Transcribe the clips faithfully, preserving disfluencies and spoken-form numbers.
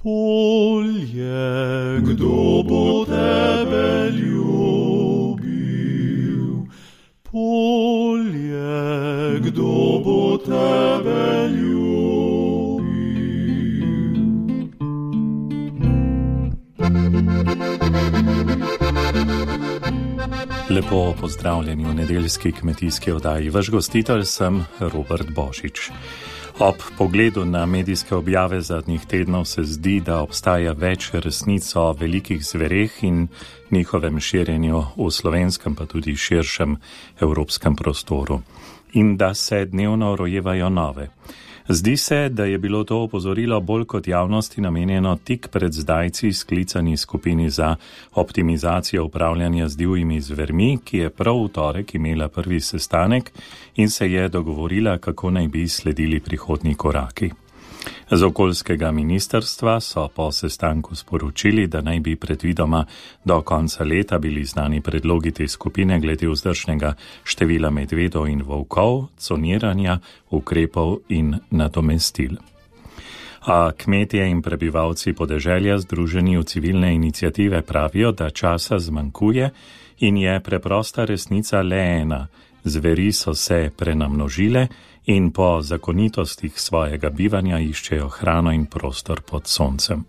Polje, kdo bo tebe ljubil? Polje, kdo bo tebe ljubil? Lepo pozdravljeni v nedeljski kmetijski oddaji. Vaš gostitelj sem Robert Božič. Ob pogledu na medijske objave zadnjih tednov se zdi, da obstaja več resnic o velikih zvereh in njihovem širjenju v slovenskem pa tudi širšem evropskem prostoru in da se dnevno rojevajo nove. Zdi se, da je bilo to opozorilo bolj kot javnosti namenjeno tik pred zdajci sklicani skupini za optimizacijo upravljanja z divjimi zvermi, ki je prav v torek imela prvi sestanek in se je dogovorila, kako naj bi sledili prihodnji koraki. Z okoljskega ministrstva so po sestanku sporočili, da naj bi predvidoma do konca leta bili znani predlogi te skupine glede vzdržnega števila medvedov in volkov, coniranja, ukrepov in nadomestil. A kmetje in prebivalci podeželja združeni v civilne iniciative pravijo, da časa zmanjkuje in je preprosta resnica le ena. Zveri so se prenamnožile in po zakonitostih svojega bivanja iščejo hrano in prostor pod soncem.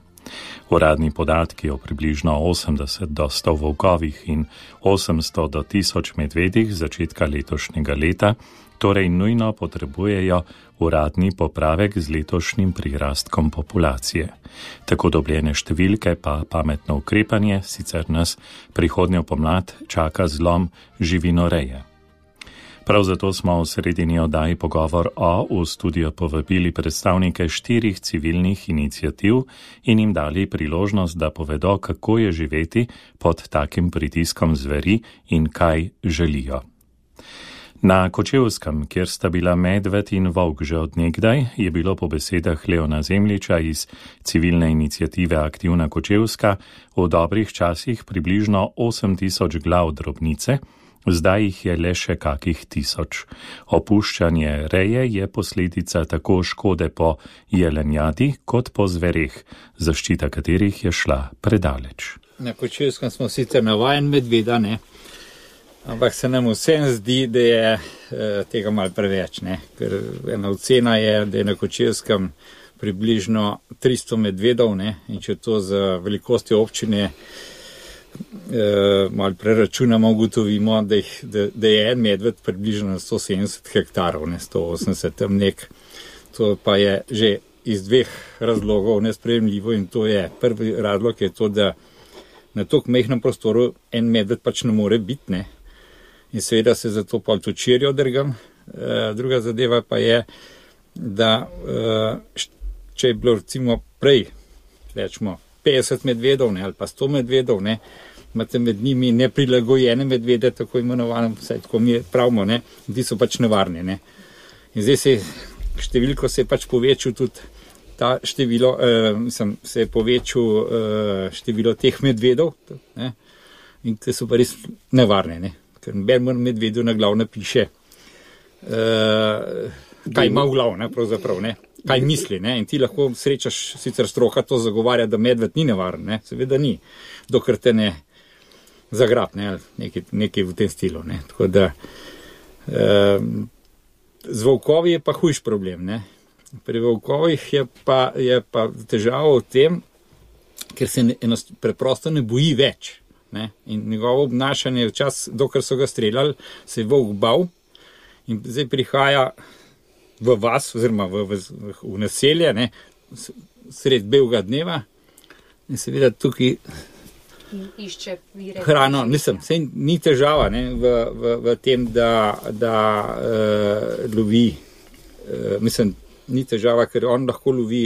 Uradni podatki o približno osemdeset do sto volkovih in osemsto do tisoč medvedih začetka letošnjega leta torej nujno potrebujejo uradni popravek z letošnjim prirastkom populacije. Tako dobljene številke pa pametno ukrepanje, sicer nas prihodnjo pomlad čaka zlom živinoreje. Prav zato smo v sredini oddaji Pogovor o v studio povabili predstavnike štirih civilnih iniciativ in jim dali priložnost, da povedo, kako je živeti pod takim pritiskom zveri in kaj želijo. Na Kočevskem, kjer sta bila medved in volk že od nekdaj, je bilo po besedah Leona Zemljiča iz civilne iniciative Aktivna Kočevska v dobrih časih približno osem tisoč glav drobnice, zdaj jih je le še kakih tisoč. Opuščanje reje je posledica tako škode po jelenjadi kot po zvereh, zaščita katerih je šla predaleč. Na Kočevskem smo sicer navajen medveda, ne? Ampak se nam vsem zdi, da je e, tega malo preveč, ne? Ker ena ocena je, da je na Kočevskem približno tristo medvedov, ne? In če to za velikosti občine Uh, malo preračunamo, ugotovimo, da, jih, da, da je en medved približno na sto sedemdeset hektarov, ne sto osemdeset tam nek. To pa je že iz dveh razlogov nesprejemljivo in to je, prvi razlog je to, da na toliko majhnem prostoru en medved pač ne more biti, ne. In seveda se zato pa točirijo drgam. Uh, druga zadeva pa je, da uh, če je bilo recimo prej, rečemo, petdeset medvedov, ne, ali pa sto medvedov, ne, imate med njimi neprilagojene medvede, tako imenovane, vsaj tako mi pravimo, ne, ti so pač nevarni, ne. In zdaj se številko se je pač povečil tudi ta število, eh, mislim, se je povečil eh, število teh medvedov, ne, in te so pa res nevarne, ne, ker noben medvedu na glav napiše, eh, kaj ima v glav, ne, pravzaprav, ne. Kaj misli, ne? In ti lahko srečaš, sicer stroka to zagovarja, da medved ni nevaren, ne? Seveda ni, dokler te ne zagrab, ne? Nekaj, nekaj v tem stilu, ne? Tako da, eh, z volkovi je pa hujš problem, ne? Pri volkovih je pa, je pa težava v tem, ker se ne, enost, preprosto ne boji več, ne? In njegovo obnašanje včas, dokler so ga streljali, se je volk bal in zdaj prihaja v vas, oziroma v, v, v naselje, ne, sred belega dneva in seveda tukaj išče vire hrano, mislim, sej ni težava, ne, v, v, v tem, da, da uh, lovi, uh, mislim, ni težava, ker on lahko lovi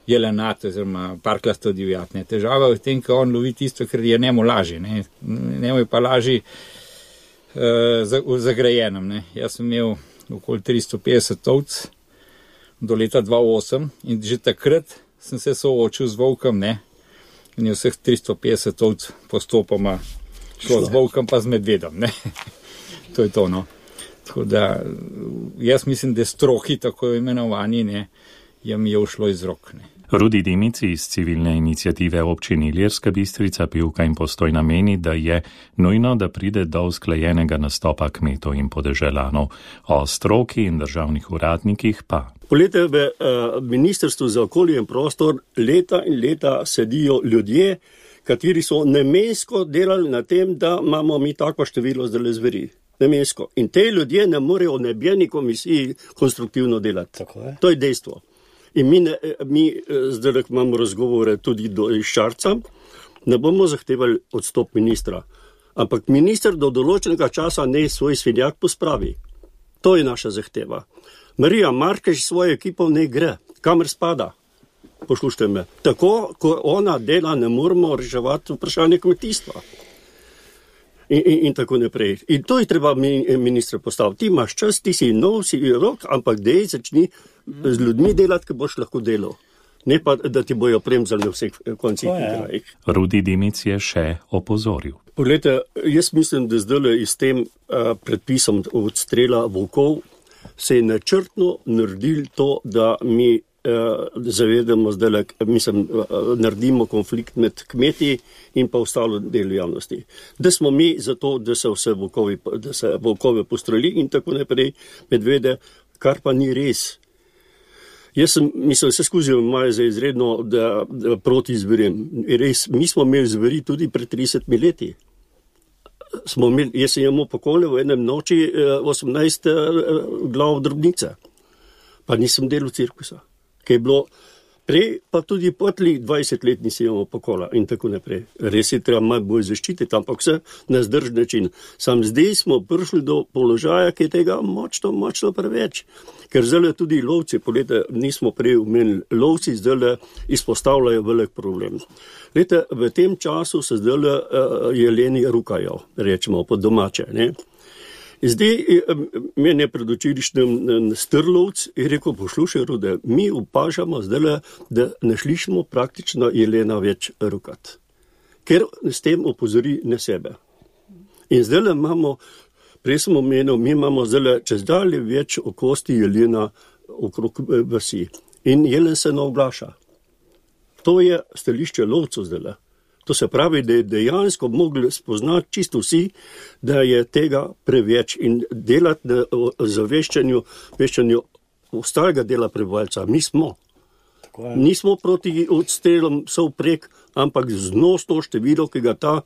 jelenat, oziroma parklasto divjad, ne, težava je v tem, ker on lovi tisto, ker je njemu lažje, ne, njemu je pa lažje uh, v zagrajenem, ne, jaz sem imel okoli tristo petdeset ovc do leta dva tisoč osem in že takrat sem se soočil z volkom, ne, in je vseh tristo petdeset ovc postopoma šlo z volkom pa z medvedom, ne. To je to, no. Tako da jaz mislim, da stroki tako imenovani, ne, je mi je ušlo iz rok, ne. Rudi Dimici iz civilne iniciative občine Ilirska Bistrica, Pivka in Postojna meni, da je nujno, da pride do usklajenega nastopa kmetov in podeželanov. O stroki in državnih uradnikih pa. Polete v uh, Ministrstvu za okolje in prostor leta in leta sedijo ljudje, kateri so namensko delali na tem, da imamo mi tako število zdaj zveri. Namensko. In te ljudje ne morejo v nebjeni komisiji konstruktivno delati. Tako je. To je dejstvo. In mi, ne, mi zdaj imamo razgovore tudi do Šarca, ne bomo zahtevali odstop ministra. Ampak minister do določenega časa ne svoj svinjak pospravi. To je naša zahteva. Marija Markež svojo ekipo ne gre, kamer spada. Poslušajte me. Tako, ko ona dela, ne moramo reševati vprašanje kmetijstva. In, in, in tako naprej. In to je treba ministra postaviti. Ti imaš čas, ti si nov, si rok, ampak dej začni z ljudmi delati, ki boš lahko delal. Ne pa, da ti bojo premzali na vseh koncih. Rudi Dimic je še opozoril. Poglejte, jaz mislim, da zdaj s tem uh, predpisom odstrela volkov se je načrtno naredil to, da mi uh, zavedamo zdaj, mislim, uh, naredimo konflikt med kmeti in pa ostalo delu javnosti. Da smo mi za to, da se vse volkovi, da se volkove postreli in tako naprej medvede, kar pa ni res. Jaz sem, mislim, vse skozi imajo za izredno, da, da proti zverem. Res, mi smo imeli zveri tudi pred tridesetimi leti. Smo imeli, jaz sem imel pokole v enem noči osemnajst glav drobnice. Pa nisem delal cirkusa. Kaj je bilo prej, pa tudi potli dvajset let nisi imel pokola in tako naprej. Res je treba malo bolj zaščititi, ampak vse na zdržen način. Sam zdaj smo prišli do položaja, ki je tega močno, močno preveč. Ker zdaj tudi lovci, polete nismo prej omenili, lovci zdaj izpostavljajo velik problem. Lete, v tem času se zdaj uh, jeleni rukajo, rečemo po domače, ne. Zdaj, meni je predočirišnjem strlovc in rekel, poslušaj, Rude, mi opažamo zdaj, da ne slišimo praktično jelena več rukat. Ker s tem opozori na sebe. In zdaj imamo, prej sem omenil, mi imamo zdaj čez dalje več okosti jelena okrog vasi. In jelen se ne oglaša. To je stališče lovcev zdaj. To se pravi, da je dejansko mogli spoznati čisto vsi, da je tega preveč in delati na zaveščanju veščanju ostalega dela prebivalca. Mi smo. Nismo proti odstrelom sovprek, ampak znosno število, ki ga ta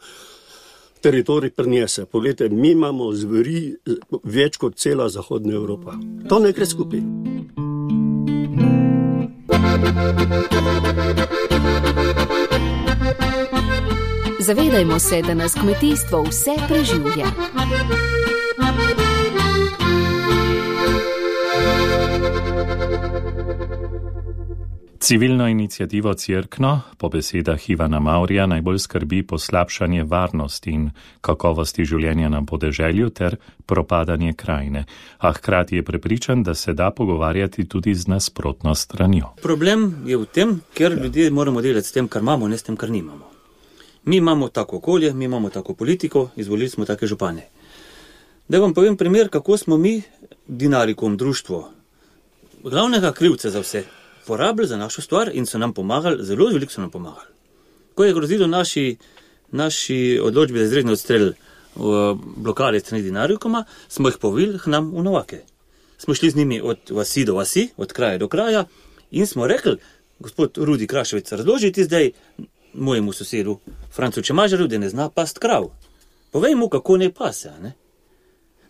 teritorij prinese. Poglejte, mi imamo zveri več kot cela Zahodna Evropa. To ne gre skupaj. Zavedajmo se, da nas kmetijstvo vse preživlja. Civilno inicijativo Cerkno po besedah Ivana Maurja najbolj skrbi poslabšanje varnosti in kakovosti življenja na podeželju ter propadanje krajine, a hkrati je prepričan, da se da pogovarjati tudi z nasprotno stranjo. Problem je v tem, ker ljudje moramo delati s tem, kar imamo, ne s tem, kar nimamo. Mi imamo tako okolje, mi imamo tako politiko, izvolili smo take župane. Da vam povem primer, kako smo mi, Dinarikum, društvo, glavnega krivca za vse, porabili za našo stvar in so nam pomagali, zelo veliko so nam pomagali. Ko je grozilo naši, naši odločbi za izredni odstrel v blokade strani Dinarikuma, smo jih povili k nam v Novake. Smo šli z njimi od vasi do vasi, od kraja do kraja in smo rekli, gospod Rudi Kraševec, razložiti zdaj mojemu sosedu Francu Čemažarju, da ne zna past krav. Povej mu, kako ne pase, ne?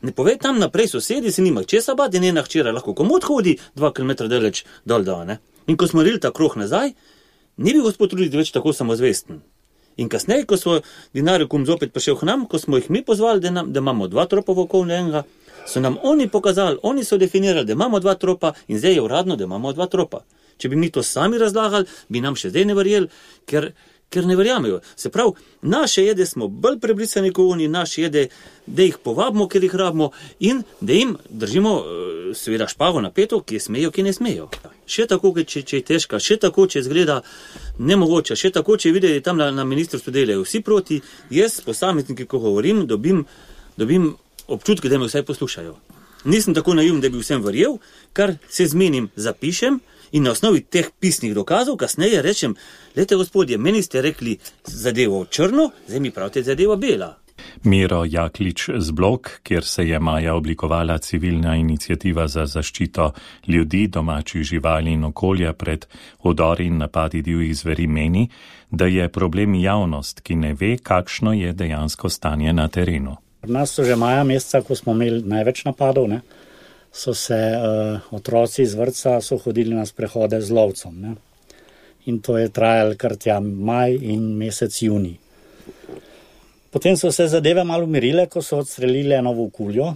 Ne povej tam naprej sosedi, se nima česa bati, njena hčera lahko komod hodi dva kilometra daleč dol da, ne? In ko smo rili ta krog nazaj, ni bil gospod Rudi več tako samozvesten. In kasneje, ko smo Dinarikum zopet prišel k nam, ko smo jih mi pozvali, da, nam, da imamo dva tropa v okolju enega, so nam oni pokazali, oni so definirali, da imamo dva tropa in zdaj je uradno, da imamo dva tropa. Če bi mi to sami razlagali, bi nam še zdaj ne verjeli, ker ker ne verjamejo. Se pravi, naše jede smo bolj prebrisani kot oni, naše jede, da jih povabimo, ker jih rabimo in da jim držimo seveda špago na peto, ki smejo, ki ne smejo. Še tako, če, če je težka, še tako, če izgleda nemogoče, še tako, če videli tam na, na ministrstvu delajo vsi proti, jaz posamezniki, ko govorim, dobim, dobim občutke, da me vsaj poslušajo. Nisem tako naivn, da bi vsem verjel, kar se zmenim, zapišem In na osnovi teh pisnih dokazov kasneje rečem, lejte gospodje, meni ste rekli zadevo črno, zdaj mi pravite zadevo bela. Miro Jaklič z Blok, kjer se je maja oblikovala civilna iniciativa za zaščito ljudi, domačih živali in okolja pred vdori in napadi divjih zveri, meni, da je problem javnost, ki ne ve, kakšno je dejansko stanje na terenu. Pri nas so že maja meseca, ko smo imeli največ napadov, ne, so se uh, otroci iz vrtca so hodili na sprehode z lovcem. Ne. In to je trajalo kar tja maj in mesec junij. Potem so se zadeve malo umirile, ko so odstrelili eno volkuljo.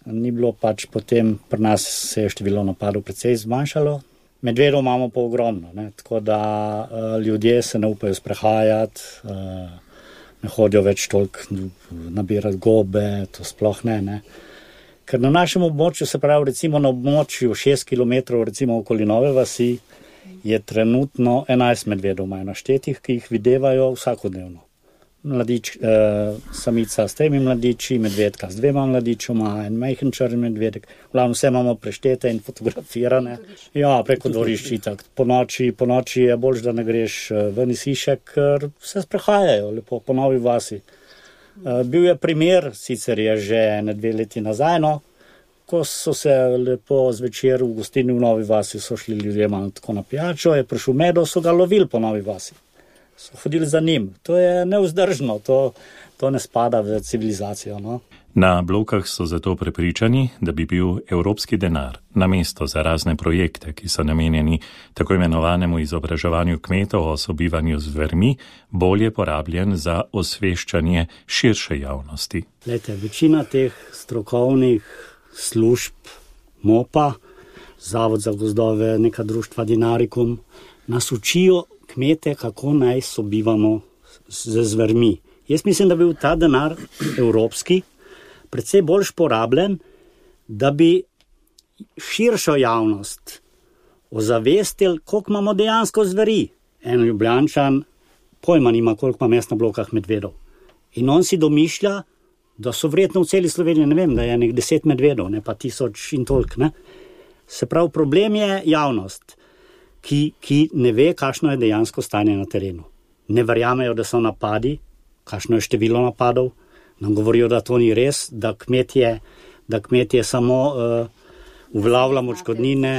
Ni bilo pač potem, pri nas se je število napadov precej zmanjšalo. Medvedov imamo pa ogromno, ne? Tako da uh, ljudje se ne upajo sprehajati, uh, ne hodijo več toliko nabirati gobe, to sploh ne, ne. Ker na našem območju, se pravi recimo na območju šest kilometrov, recimo okoli Nove vasi, je trenutno enajst medvedov imajo naštetih, ki jih videvajo vsakodnevno. Mladič, eh, samica s tremi mladiči, medvedka s dvema mladičoma, en majhen črn medvedek. Glavno vse imamo preštete in fotografirane. Ja, preko dvorišči tak. Po noči, po noči je bolj, da ne greš ven iz hiše, ker se sprehajajo lepo po Novi vasi. Eh, bil je primer, sicer je že ne dve leti nazaj, no, ko so se lepo zvečer v gostilni v Novi vasi, so šli ljudje malo tako na pijačo, je prišel medo, so ga lovili po Novi vasi. So hodili za njim. To je nevzdržno, to, to ne spada v civilizacijo. No? Na Blokah so zato prepričani, da bi bil evropski denar namesto za razne projekte, ki so namenjeni tako imenovanemu izobraževanju kmetov o sobivanju z zvermi, bolje porabljen za osveščanje širše javnosti. Lejte, večina teh strokovnih služb M O P-a, Zavod za gozdove, neka društva Dinarikum, nas učijo kmete, kako naj sobivamo z zvermi. Jaz mislim, da bi bil ta denar evropski predvsej bolj porabljen, da bi širšo javnost ozavestili, koliko imamo dejansko zveri. En Ljubljančan pojma nima, koliko ima mest na Blokah medvedov. In on si domišlja, da so verjetno v celi Sloveniji, ne vem, da je nek deset medvedov, ne pa tisoč in toliko. Ne? Se pravi, problem je javnost. Ki, ki ne ve, kakšno je dejansko stanje na terenu. Ne verjamejo, da so napadi, kakšno je število napadov, nam govorijo, da to ni res, da kmetje, da kmetje samo uh, uvlavljamo odškodnine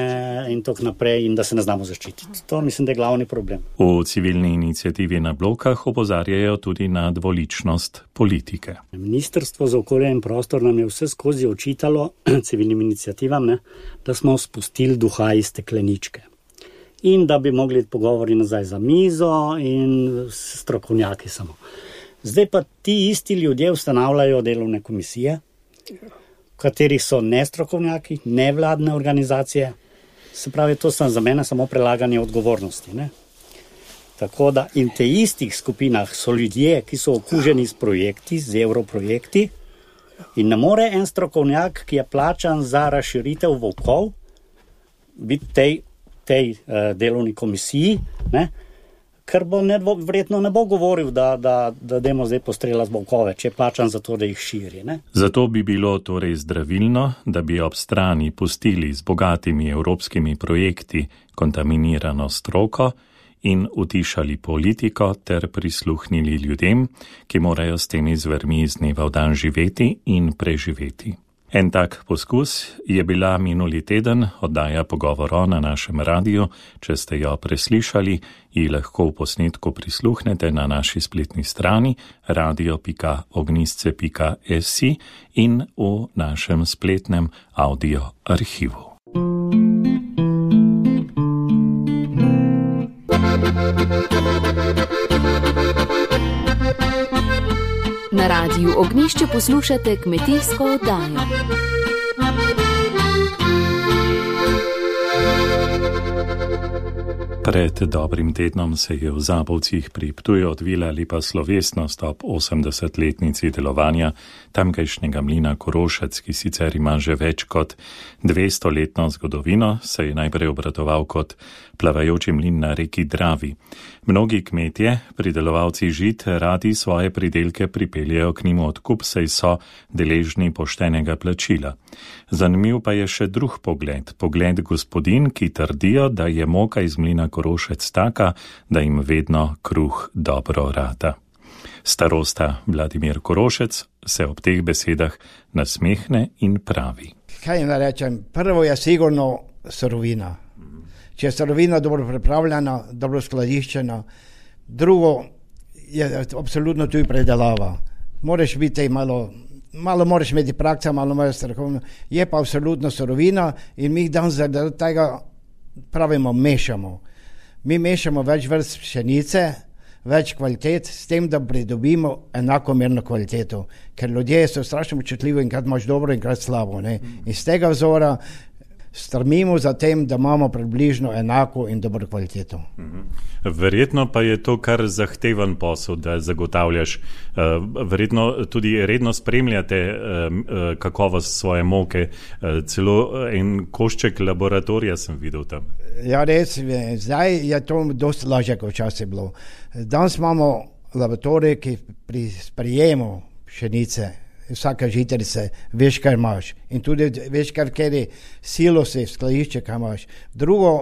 in tako naprej in da se ne znamo zaščititi. To mislim, da je glavni problem. V civilni iniciativi na Blokah opozarjajo tudi na dvoličnost politike. Ministrstvo za okolje in prostor nam je vse skozi očitalo civilnim iniciativam, ne, da smo spustili duha iz stekleničke. In da bi mogli pogovori nazaj za mizo in strokovnjaki samo. Zdaj pa ti isti ljudje ustanavljajo delovne komisije, v katerih so nestrokovnjaki, nevladne organizacije. Se pravi, to so za mene samo prelaganje odgovornosti. Ne? Tako da in te istih skupinah so ljudje, ki so okuženi s projekti, z evroprojekti in ne more en strokovnjak, ki je plačan za razširitev volkov, biti tej tej uh, delovni komisiji, ne, ker bo ne, verjetno ne bo govoril, da, da, da demo zdaj postrelati volkove, če je plačan za to, da jih širi. Ne. Zato bi bilo torej zdravilno, da bi ob strani pustili z bogatimi evropskimi projekti kontaminirano stroko in utišali politiko ter prisluhnili ljudem, ki morajo s temi zvermi iz dneva v dan živeti in preživeti. En tak poskus je bila minuli teden oddaja Pogovor na našem radiju. Če ste jo preslišali, ji lahko v posnetku prisluhnete na naši spletni strani radio pika ognisce pika si in v našem spletnem audio arhivu. Na radiju Ognjišče poslušate kmetijsko oddajo. Pred dobrim tednom se je v Zabovcih pri Ptuju odvila lepa slovesnost ob osemdesetletnici delovanja tamkajšnjega mlina Korošec, ki sicer ima že več kot dvestoletno zgodovino, se je najprej obratoval kot plavajoči mlin na reki Dravi. Mnogi kmetje, pridelovalci žit, radi svoje pridelke pripeljejo k njim odkup, saj so deležni poštenega plačila. Zanimiv pa je še drug pogled, pogled gospodin, ki trdijo, da je moka iz mlina Korošec taka, da jim vedno kruh dobro rata. Starosta Vladimir Korošec se ob teh besedah nasmehne in pravi. Kaj ne rečem, prvo je sigurno surovina. Če je surovina dobro pripravljena, dobro skladiščena, drugo je absolutno tudi predelava. Moraš biti malo, malo moraš imeti praksa, malo moraš strokovno. Je pa absolutno surovina in mi danes zaradi tega pravimo mešamo. Mi mešamo več vrst pšenice, več kvalitet, s tem, da pridobimo enakomerno kvaliteto. Ker ljudje so strašno občutljivi, enkrat imaš dobro, enkrat slabo. Ne? Iz tega vzora strmimo za tem, da imamo približno enako in dobro kvaliteto. Verjetno pa je to kar zahteven posel, da zagotavljaš. Verjetno tudi redno spremljate kakovost svoje moke. Celo en košček laboratorija sem videl tam. Ja, res, zdaj je to dosti lažje, kot včasih bilo. Danes imamo laboratorij, ki pri sprejemu pšenice, vsaka žitarica, veš, kaj imaš. In tudi veš, kar kjer silosi, skladišče, kaj imaš. Drugo,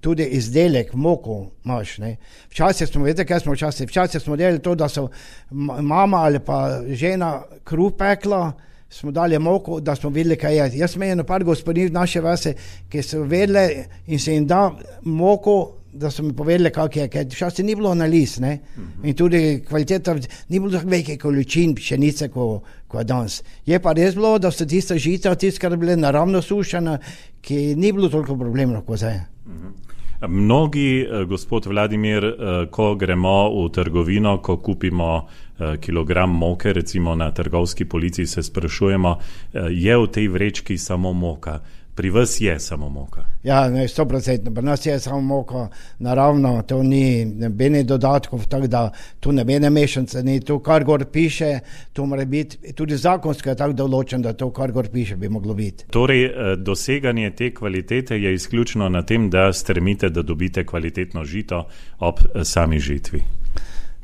tudi izdelek, moko imaš. Ne? Včasih smo, vedete, kaj smo včasih? Včasih smo delali to, da so mama ali pa žena kruh pekla, smo dali moko, da smo videli, kaj je. Jaz sem imel par gospodin v naše vase, ki so vedeli in se jim da moko, da so mi povedali, kak je, ker včasih ni bilo analiz, ne? Uh-huh. In tudi kvaliteta, ni bilo tako velike količin pšenice, kot ko danes. Je pa res bilo, da so tiste žita, tiste, kar bile naravno sušene, ki ni bilo toliko problemov, kot zdaj. Uh-huh. Mnogi, gospod Vladimir, ko gremo v trgovino, ko kupimo kilogram moke, recimo na trgovski policiji, se sprašujemo, je v tej vrečki samo moka. Pri vas je samo moka. Ja, ne, sto procentno. Pri nas je samo moka naravno, to ni nobene dodatkov, tako da tu nobene mešanice ni. To, kar gor piše, to mora biti, tudi zakonsko je tako določen, da to, kar gor piše, bi moglo biti. Torej, doseganje te kvalitete je izključno na tem, da stremite, da dobite kvalitetno žito ob sami žitvi.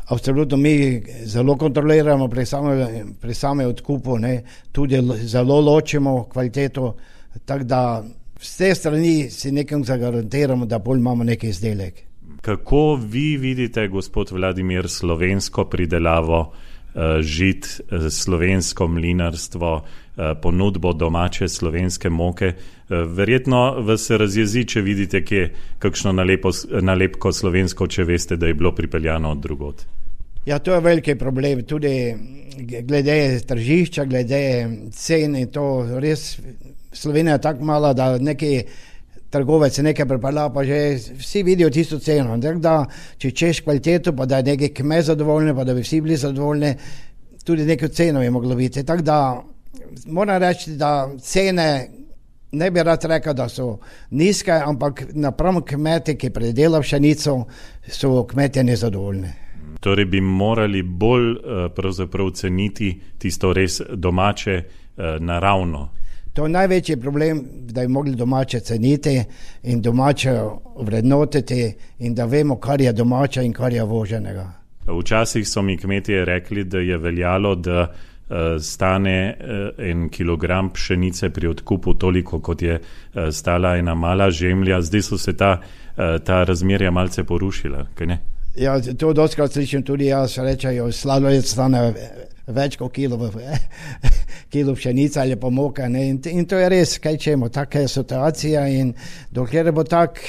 Absolutno, mi zelo kontroliramo pri same, pri same odkupu, ne, tudi zelo ločimo kvaliteto, tako da vse strani si nekam zagarantiramo, da bolj imamo neki izdelek. Kako vi vidite, gospod Vladimir, slovensko pridelavo uh, žit, uh, slovensko mlinarstvo, uh, ponudbo domače slovenske moke? Uh, verjetno vas razjezi, če vidite, kje kakšno nalepo, nalepko slovensko, če veste, da je bilo pripeljano od drugod. Ja, to je veliki problem, tudi glede tržišča, glede cen in to res. Slovenija je tako mala, da neki trgovec nekaj pripelja, pa že vsi vidijo tisto ceno. Tako da, če češ kvaliteto, pa da je neki kmet zadovoljni, pa da bi vsi bili zadovoljni, tudi neko ceno je moglo biti. Tako da, moram reči, da cene, ne bi rad rekel, da so nizke, ampak napram kmete, ki predelajo pšenico, so kmetje nezadovoljni. Torej bi morali bolj pravzaprav ceniti tisto res domače, naravno. To je največji problem, da bi mogli domače ceniti in domače vrednotiti in da vemo, kar je domače in kar je voženega. Včasih so mi kmetje rekli, da je veljalo, da uh, stane uh, en kilogram pšenice pri odkupu toliko, kot je uh, stala ena mala žemlja. Zdaj so se ta, uh, ta razmerja malce porušila, kaj ne? Ja, to dostkrat slišim tudi jaz, rečejo, sladoled stane več kot kilo, kilo pšenica ali pa moka. Ne? In, in to je res, kaj čemo, taka je situacija in dokler bo tak,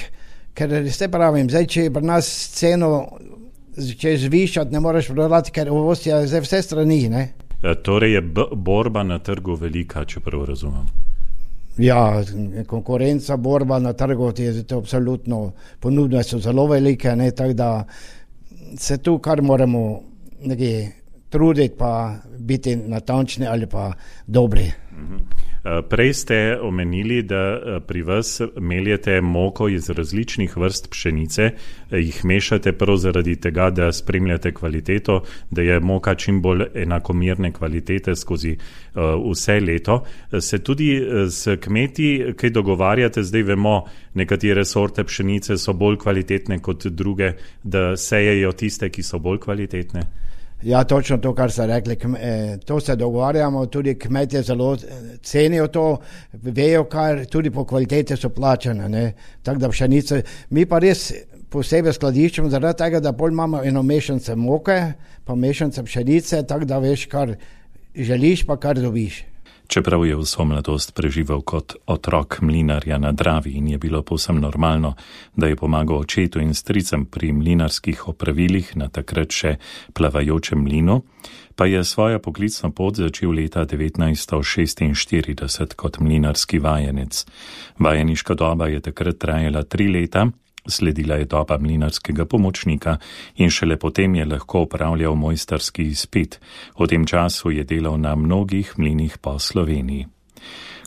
ker ste pravim, zdaj, če pri nas ceno, če zvišati, ne moreš prodati, ker uvoz je zdaj vse strani. Ne? Torej je b- borba na trgu velika, če prav razumem. Ja, konkurenca, borba na trgu, je to absolutno, ponudbe so zelo velike, ne, tako da se tu kar moramo nekaj truditi pa biti natančni ali pa dobri. Prej ste omenili, da pri vas meljete moko iz različnih vrst pšenice, jih mešate prav zaradi tega, da spremljate kvaliteto, da je moka čim bolj enakomerne kvalitete skozi vse leto. Se tudi s kmeti kaj dogovarjate, zdaj vemo, nekatere sorte pšenice so bolj kvalitetne kot druge, da sejejo tiste, ki so bolj kvalitetne? Ja, točno to, kar ste rekli, to se dogovarjamo, tudi kmetje zelo cenijo to, vejo, kar tudi po kvalitete so plačane, ne, tako da pšenice, mi pa res posebej skladiščimo zaradi tega, da bolj imamo eno mešance moke, pa mešance pšenice, tako da veš, kar želiš, pa kar dobiš. Čeprav je vso mladost preživel kot otrok mlinarja na Dravi in je bilo povsem normalno, da je pomagal očetu in stricem pri mlinarskih opravilih na takrat še plavajočem mlinu, pa je svojo poklicno pot začel leta devetnajststo šestinštirideset kot mlinarski vajenec. Vajeniška doba je takrat trajala tri leta, sledila je doba mlinarskega pomočnika in šele potem je lahko opravljal mojstrski izpit. V tem času je delal na mnogih mlinih po Sloveniji.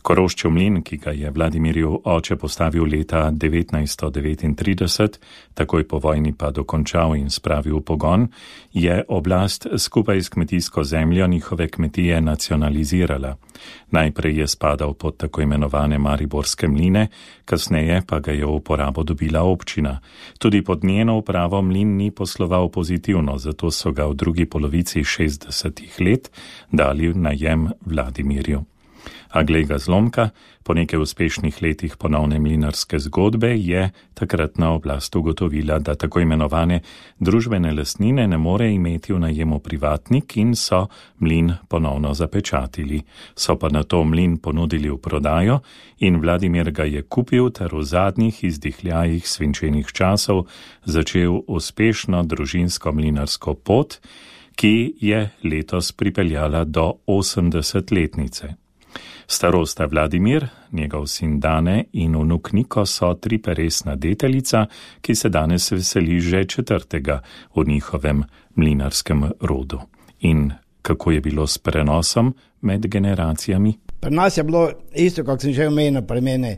Koroščev mlin, ki ga je Vladimirjev oče postavil leta devetnajststo devetintrideset, takoj po vojni pa dokončal in spravil v pogon, je oblast skupaj s kmetijsko zemljo njihove kmetije nacionalizirala. Najprej je spadal pod tako imenovane mariborske mline, kasneje pa ga je v uporabo dobila občina. Tudi pod njeno upravo mlin ni posloval pozitivno, zato so ga v drugi polovici šestdesetih let dali v najem Vladimirju. A glej ga zlomka, po nekaj uspešnih letih ponovne mlinarske zgodbe je takratna oblast ugotovila, da tako imenovane družbene lastnine ne more imeti v najemu privatnik in so mlin ponovno zapečatili. So pa na to mlin ponudili v prodajo in Vladimir ga je kupil ter v zadnjih izdihljajih svinčenih časov začel uspešno družinsko mlinarsko pot, ki je letos pripeljala do osemdesetletnice. Starosta Vladimir, njegov sin Dane in vnuk Niko so triperesna deteljica, ki se danes veseli že četrtega v njihovem mlinarskem rodu. In kako je bilo s prenosom med generacijami? Pri nas je bilo isto, kot sem že omenil pri mene.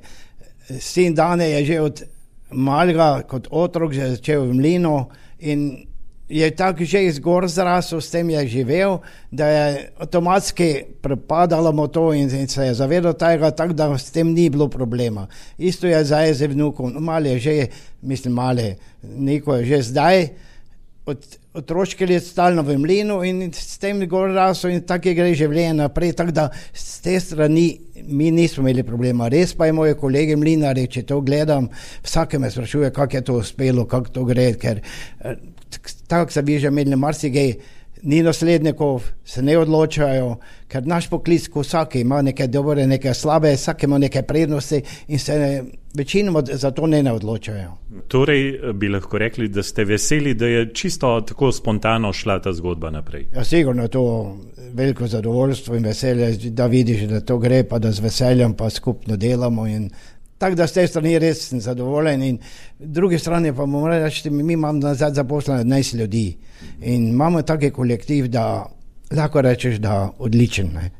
Sin Dane je že od malega kot otrok že začel v mlinu in je tako že izgor zrasel, s tem je živel, da je avtomatski prepadalo mu to in, in se je zavedal tega, tako da s tem ni bilo problema. Isto je zdaj z vnukom, mali je že, mislim mali, Niko je že zdaj, od otroške let stalno v mlinu in s tem gor rasel in tako je gre življenje naprej, tako da s te strani mi nismo imeli problema. Res pa je moje kolege mlinari, če to gledam, vsake me sprašuje, kako je to uspelo, kako to gre, ker tako se bi že imeli marsikaj, ni naslednikov, se ne odločajo, ker naš poklic, ko vsaki ima neke dobre, neke slabe, vsake ima neke prednosti in se večinoma za to ne, ne odločajo. Torej bi lahko rekli, da ste veseli, da je čisto tako spontano šla ta zgodba naprej. Ja, sigurno je to veliko zadovoljstvo in veselje, da vidiš, da to gre, pa da z veseljem pa skupno delamo in tako da s te strani res sem zadovoljen in druge strani pa moram reči, mi imamo nazad zaposlene enajst ljudi in imamo taki kolektiv, da lahko rečeš, da odličen. Ne?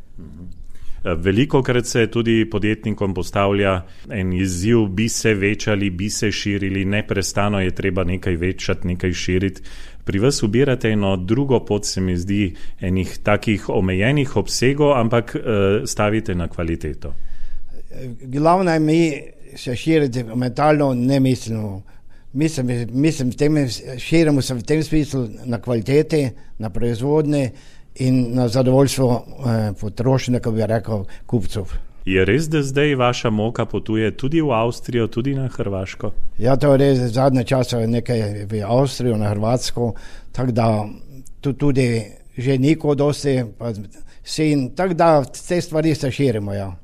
Veliko krat se tudi podjetnikom postavlja en izziv, bi se večali, bi se širili, neprestano je treba nekaj večati, nekaj širiti. Pri vas ubirate eno drugo pot, se mi zdi, enih takih omejenih obsegov, ampak uh, stavite na kvaliteto. Glavno je mi se širiti mentalno, ne mislimo. Mislim, mislim tem, širimo se v tem smislu na kvaliteti, na proizvodnje in na zadovoljstvo eh, potrošnika, bi rekel, kupcev. Je res, da zdaj vaša moka potuje tudi v Avstrijo, tudi na Hrvaško? Ja, to je res, zadnje čase nekaj v Avstrijo, na Hrvatsko, tako da tu tudi že niko dosti, pa sin, tako da te stvari se širimo, ja.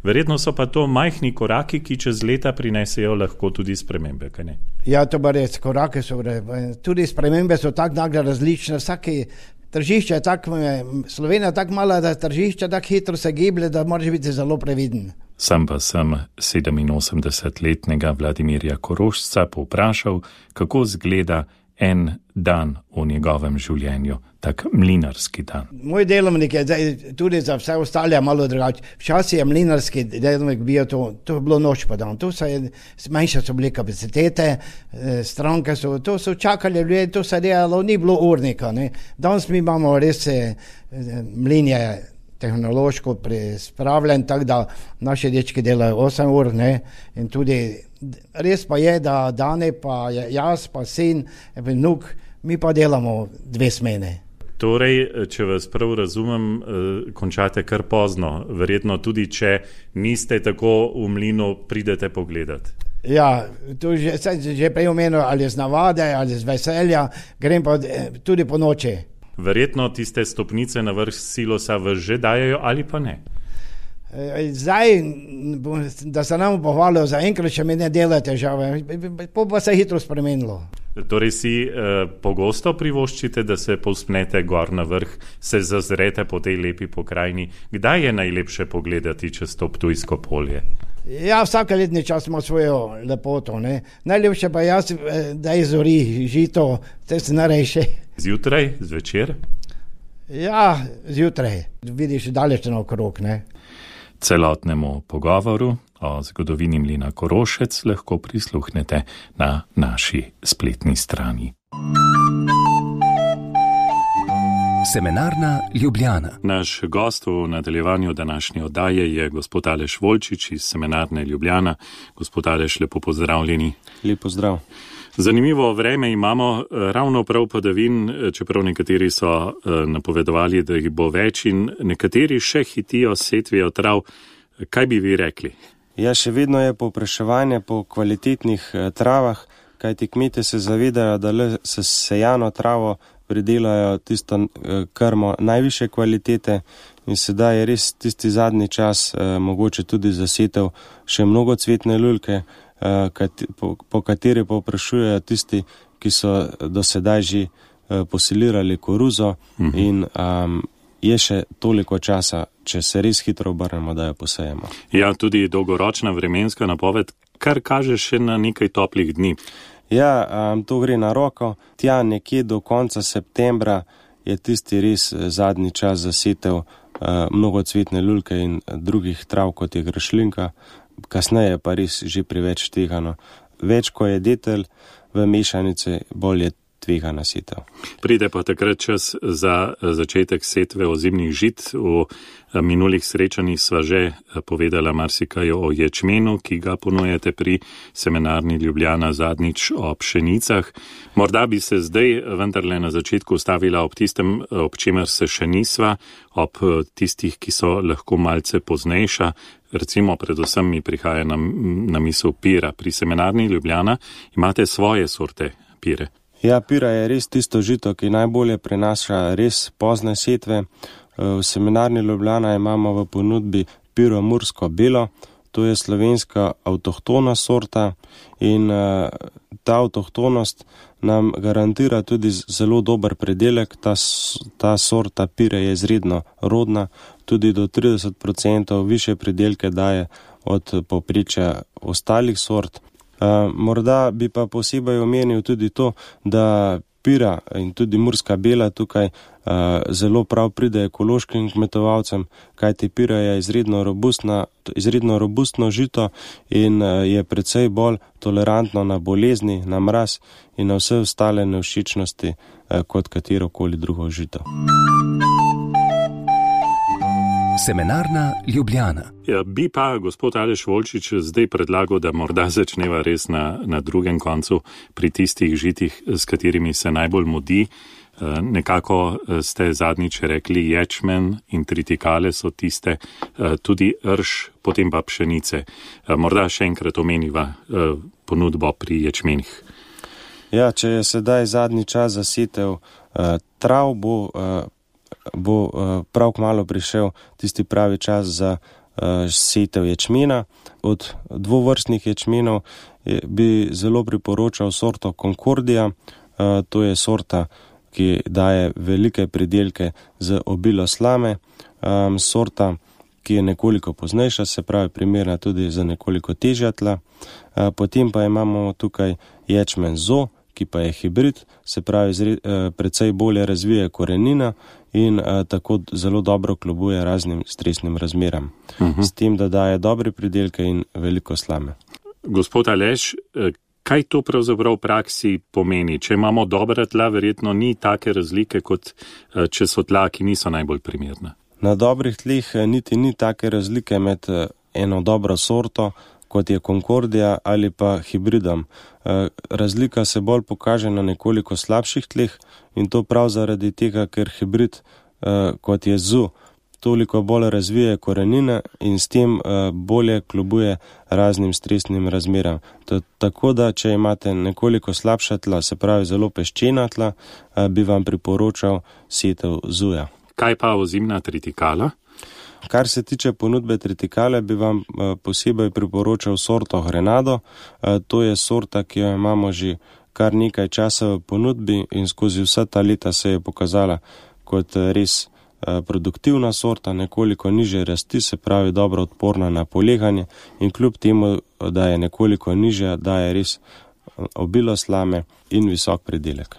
Verjetno so pa to majhni koraki, ki čez leta prinesejo lahko tudi spremembe, kaj ne? Ja, to pa res, korake so, tudi spremembe so tako nagle različne, vsaki tržišče je tako, Slovenija je tako mala, da tržišče tako hitro se giblje, da moraš biti zelo previden. Sam pa sem sedeminosemdesetletnega Vladimirja Korošca povprašal, kako zgleda en dan v njegovem življenju, tak mlinarski dan? Moj delovnik je zdaj tudi za vse ostale malo drugače. Včasih je mlinarski delovnik bil to, to je bilo noč pa dan. Tu so je, manjše so bile kapacitete, stranke so, to so čakali ljudje, to se delalo, ni bilo urnika. Ne. Danes mi imamo res mlin je tehnološko prispravljen, tako da naši dečki delajo osem ur, ne, in tudi res pa je, da Dane pa jaz pa sin, vnuk, mi pa delamo dve smene. Torej, če vas prav razumem, končate kar pozno, verjetno tudi, če niste tako v mlinu, pridete pogledat. Ja, tu že, že prej omenil, ali z navade, ali z veselja, grem pa tudi po noči. Verjetno tiste stopnice na vrh silosa vas že dajajo ali pa ne? Zdaj, da se nam pohvalijo, zaenkrat še mi ne dela težave, pa se je hitro spremenilo. Torej si eh, pogosto privoščite, da se povzpnete gor na vrh, se zazrete po tej lepi pokrajini. Kdaj je najlepše pogledati čez to Ptujsko polje? Ja, vsake letni čas ima svojo lepoto, ne. Najlepše pa jaz, da je zori, žito, to je najrejše. Zjutraj, zvečer? Ja, zjutraj. Vidiš daleč naokrog, ne. Celotnemu pogovoru o zgodovini mlina Korošec lahko prisluhnete na naši spletni strani. Semenarna Ljubljana. Naš gost v nadaljevanju današnje oddaje je gospod Aleš Volčič iz Semenarne Ljubljana. Gospod Aleš, lepo pozdravljeni. Lep pozdrav. Zanimivo vreme imamo, ravno prav padavin, čeprav nekateri so napovedovali, da jih bo več in nekateri še hitijo setvijo trav. Kaj bi vi rekli? Ja, še vedno je povpraševanje po kvalitetnih travah, kajti kmetje se zavedajo, da le s sejano travo pridelajo tisto krmo najvišje kvalitete in sedaj je res tisti zadnji čas mogoče tudi zasetev še mnogocvetne lulke, po kateri povprašujejo tisti, ki so do sedaj že posilirali koruzo in um, je še toliko časa, če se res hitro obrnemo, da jo posejemo. Ja, tudi dolgoročna vremenska napoved, kar kaže še na nekaj toplih dni. Ja, um, to gre na roko. Tja nekje do konca septembra je tisti res zadnji čas zasetev uh, mnogocvetne lulke in drugih trav, kot je grašlinka. Kasneje pa res že preveč tvegano. Več, ko je detelj v mešanici, bolj je tvegana setev. Pride pa takrat čas za začetek setve ozimnih žit. V minulih srečanjih sva že povedala marsikaj o ječmenu, ki ga ponujete pri Semenarni Ljubljana, zadnjič o pšenicah. Morda bi se zdaj vendarle na začetku stavila ob tistem, ob čemer se še nisva, ob tistih, ki so lahko malce poznejša. Recimo, predvsem mi prihaja na, na misel pira. Pri Semenarni Ljubljana imate svoje sorte pire. Ja, pira je res tisto žito, ki najbolje prenaša res pozne setve. V Semenarni Ljubljana imamo v ponudbi piro mursko belo, to je slovenska avtohtona sorta in ta avtohtonost nam garantira tudi zelo dober predelek. Ta, ta sorta pire je izredno rodna, tudi do trideset procentov više predelke daje od povprečja ostalih sort. Uh, morda bi pa posebej omenil tudi to, da pira in tudi murska bela tukaj uh, zelo prav pride ekološkim kmetovalcem, kajti pira je izredno robustna, izredno robustno žito in uh, je precej bolj tolerantno na bolezni, na mraz in na vse ostale nevšečnosti uh, kot katerokoli drugo žito. Semenarna Ljubljana. Ja, bi pa gospod Aleš Volčič zdaj predlagal, da morda začneva res na, na drugem koncu pri tistih žitih, s katerimi se najbolj mudi. Nekako ste zadnjič rekli ječmen in tritikale so tiste, tudi rž, potem pa pšenice. Morda še enkrat omeniva ponudbo pri ječmenih. Ja, če je sedaj zadnji čas zasetev trav, bo bo prav kmalu prišel tisti pravi čas za setev ječmena. Od dvovrstnih ječmenov bi zelo priporočal sorto Concordia. To je sorta, ki daje velike pridelke z obilo slame. Sorta, ki je nekoliko poznejša, se pravi primerna tudi za nekoliko težja tla. Potem pa imamo tukaj ječmen Zo, ki pa je hibrid, se pravi zre, uh, precej bolje razvije korenina in uh, tako zelo dobro kljubuje raznim stresnim razmeram. Uh-huh. S tem, da daje dobre pridelke in veliko slame. Gospod Aleš, kaj to pravzaprav v praksi pomeni? Če imamo dobra tla, verjetno ni take razlike, kot če so tla, ki niso najbolj primerna. Na dobrih tleh niti ni take razlike med eno dobro sorto, kot je Concordia ali pa hibridom. Razlika se bolj pokaže na nekoliko slabših tleh in to prav zaradi tega, ker hibrid, kot je zu, toliko bolj razvije korenine in s tem bolje kljubuje raznim stresnim razmeram. Tako da, če imate nekoliko slabša tla, se pravi zelo peščena tla, bi vam priporočal setev zuja. Kaj pa ozimna tritikala? Kar se tiče ponudbe tritikale, bi vam posebej priporočal sorto Grenado. To je sorta, ki jo imamo že kar nekaj časa v ponudbi in skozi vsa ta leta se je pokazala kot res produktivna sorta, nekoliko nižje rasti, se pravi dobro odporna na poleganje in kljub temu, da je nekoliko nižja, daje res obilo slame in visok pridelek.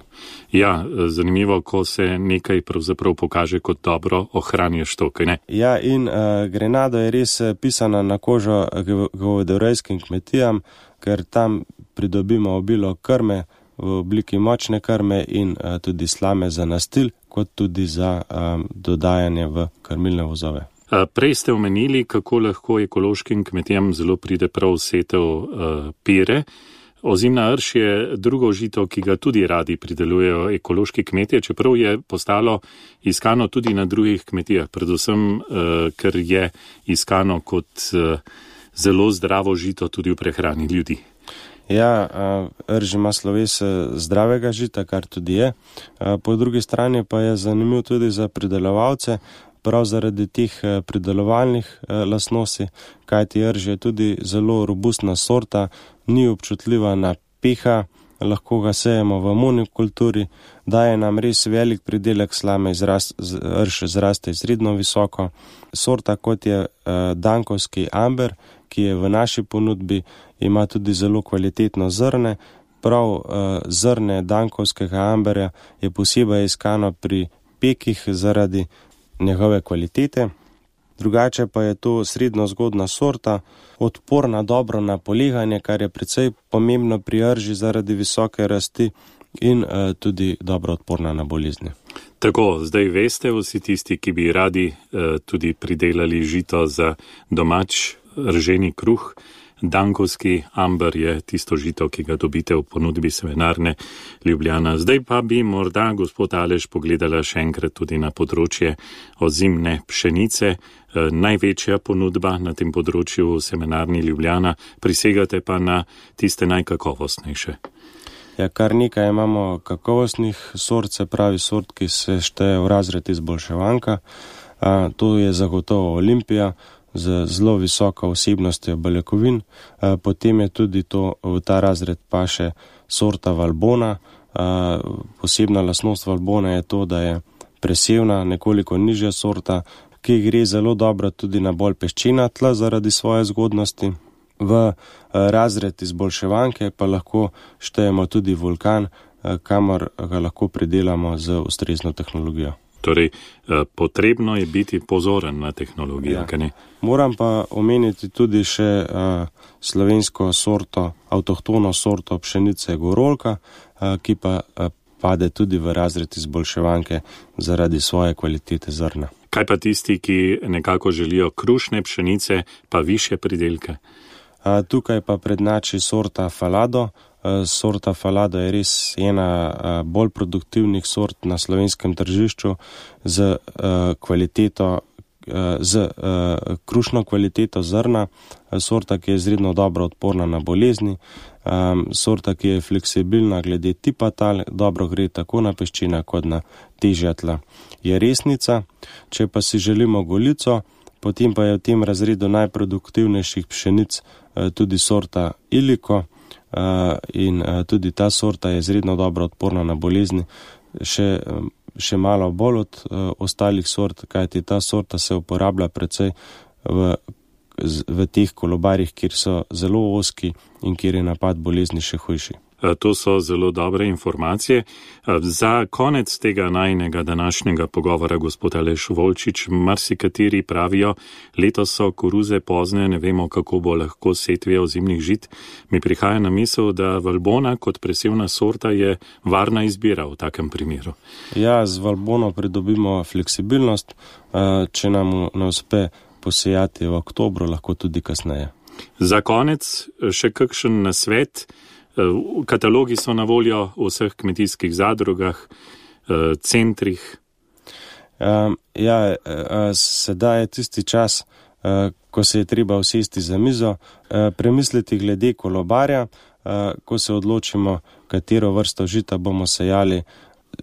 Ja, zanimivo, ko se nekaj pravzaprav pokaže kot dobro, ohranješ to, kaj ne? Ja, in uh, Grenado je res pisana na kožo govedorejskim kmetijam, ker tam pridobimo obilo krme v obliki močne krme in uh, tudi slame za nastil, kot tudi za um, dodajanje v krmilne vozove. Prej ste omenili, kako lahko ekološkim kmetijam zelo pride prav setev uh, pire. Ozimna rž je drugo žito, ki ga tudi radi pridelujejo ekološki kmetije, čeprav je postalo iskano tudi na drugih kmetijah, predvsem, uh, ker je iskano kot uh, zelo zdravo žito tudi v prehrani ljudi. Ja, rž ima sloves zdravega žita, kar tudi je. Po drugi strani pa je zanimiv tudi za pridelovalce, prav zaradi teh pridelovalnih lastnosti, kajti rž je tudi zelo robustna sorta, ni občutljiva na peha, lahko ga sejemo v monokulturi, daje nam res velik pridelek slame, rž zraste izredno visoko. Sorta, kot je dankovski amber, ki je v naši ponudbi, ima tudi zelo kvalitetno zrne. Prav uh, zrne dankovskega amberja je posebej iskano pri pekih zaradi njegove kvalitete. Drugače pa je to srednjo zgodna sorta, odporna dobro na poleganje, kar je precej pomembno pri rži zaradi visoke rasti in uh, tudi dobro odporna na bolezni. Tako, zdaj veste vsi tisti, ki bi radi uh, tudi pridelali žito za domač rženi kruh. Dankovski amber je tisto žito, ki ga dobite v ponudbi Semenarne Ljubljana. Zdaj pa bi morda gospod Aleš pogledala še enkrat tudi na področje ozimne pšenice. E, največja ponudba na tem področju v Semenarni Ljubljana, prisegate pa na tiste najkakovostnejše. Ja, kar nekaj imamo kakovostnih sort, se pravi sort, ki se šteje v razred izboljševanka. A, to je zagotovo Olimpija, z zelo visoko vsebnostjo beljakovin, potem je tudi to v ta razred paše sorta Valbona. Posebna lastnost Valbona je to, da je presevna, nekoliko nižja sorta, ki gre zelo dobro tudi na bolj peščena tla zaradi svoje zgodnosti. V razred izboljševanke pa lahko štejemo tudi Vulkan, kamor ga lahko pridelamo z ustrezno tehnologijo. Torej, potrebno je biti pozoren na tehnologijo, ja. Kaj ne? Moram pa omeniti tudi še uh, slovensko sorto, avtohtono sorto pšenice Gorolka, uh, ki pa uh, pade tudi v razred izboljševanke zaradi svoje kvalitete zrna. Kaj pa tisti, ki nekako želijo krušne pšenice, pa višje pridelke? Uh, tukaj pa prednači sorta Falado. Sorta Falado je res ena bolj produktivnih sort na slovenskem tržišču z kvaliteto, z krušno kvaliteto zrna, sorta, ki je izredno dobro odporna na bolezni, sorta, ki je fleksibilna glede tipa tal, dobro gre tako na peščina kot na težja tla. Je resnica, če pa si želimo golico, potem pa je v tem razredu najproduktivnejših pšenic tudi sorta Iliko. Uh, in uh, tudi ta sorta je izredno dobro odporna na bolezni, še, um, še malo bolj od uh, ostalih sort, kajti ta sorta se uporablja precej v, v teh kolobarjih, kjer so zelo ozki in kjer je napad bolezni še hujši. To so zelo dobre informacije. Za konec tega najnega današnjega pogovora, gospod Aleš Volčič, marsikateri pravijo, letos so koruze pozne, ne vemo, kako bo lahko setve ozimnih žit. Mi prihaja na misel, da valbona kot presevna sorta je varna izbira v takem primeru. Ja, z valbono pridobimo fleksibilnost, če nam ne uspe posejati v oktobru, lahko tudi kasneje. Za konec še kakšen nasvet. Katalogi so na voljo v vseh kmetijskih zadrugah, centrih. Um, ja, sedaj je tisti čas, ko se je treba usesti za mizo, premisliti glede kolobarja, ko se odločimo, katero vrsto žita bomo sejali,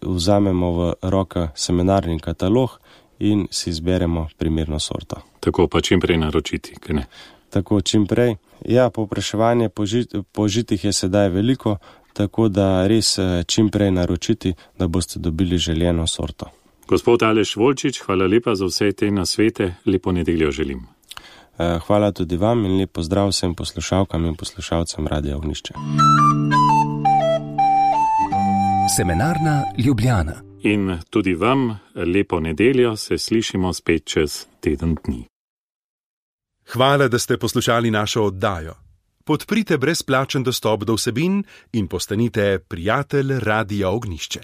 vzamemo v roke semenarni katalog in si izberemo primerno sorto. Tako pa čim prej naročiti, kaj ne? Tako čim prej. Ja, povpraševanje po, žit, po žitih je sedaj veliko, tako da res čim prej naročiti, da boste dobili željeno sorto. Gospod Aleš Volčič, hvala lepa za vse te nasvete, lepo nedeljo želim. Hvala tudi vam in lep pozdrav vsem poslušalkam in poslušalcem Radia Ognjišče. Semenarna Ljubljana. In tudi vam lepo nedeljo, se slišimo spet čez teden dni. Hvala, da ste poslušali našo oddajo. Podprite brezplačen dostop do vsebin in postanite prijatelj Radia Ognjišče.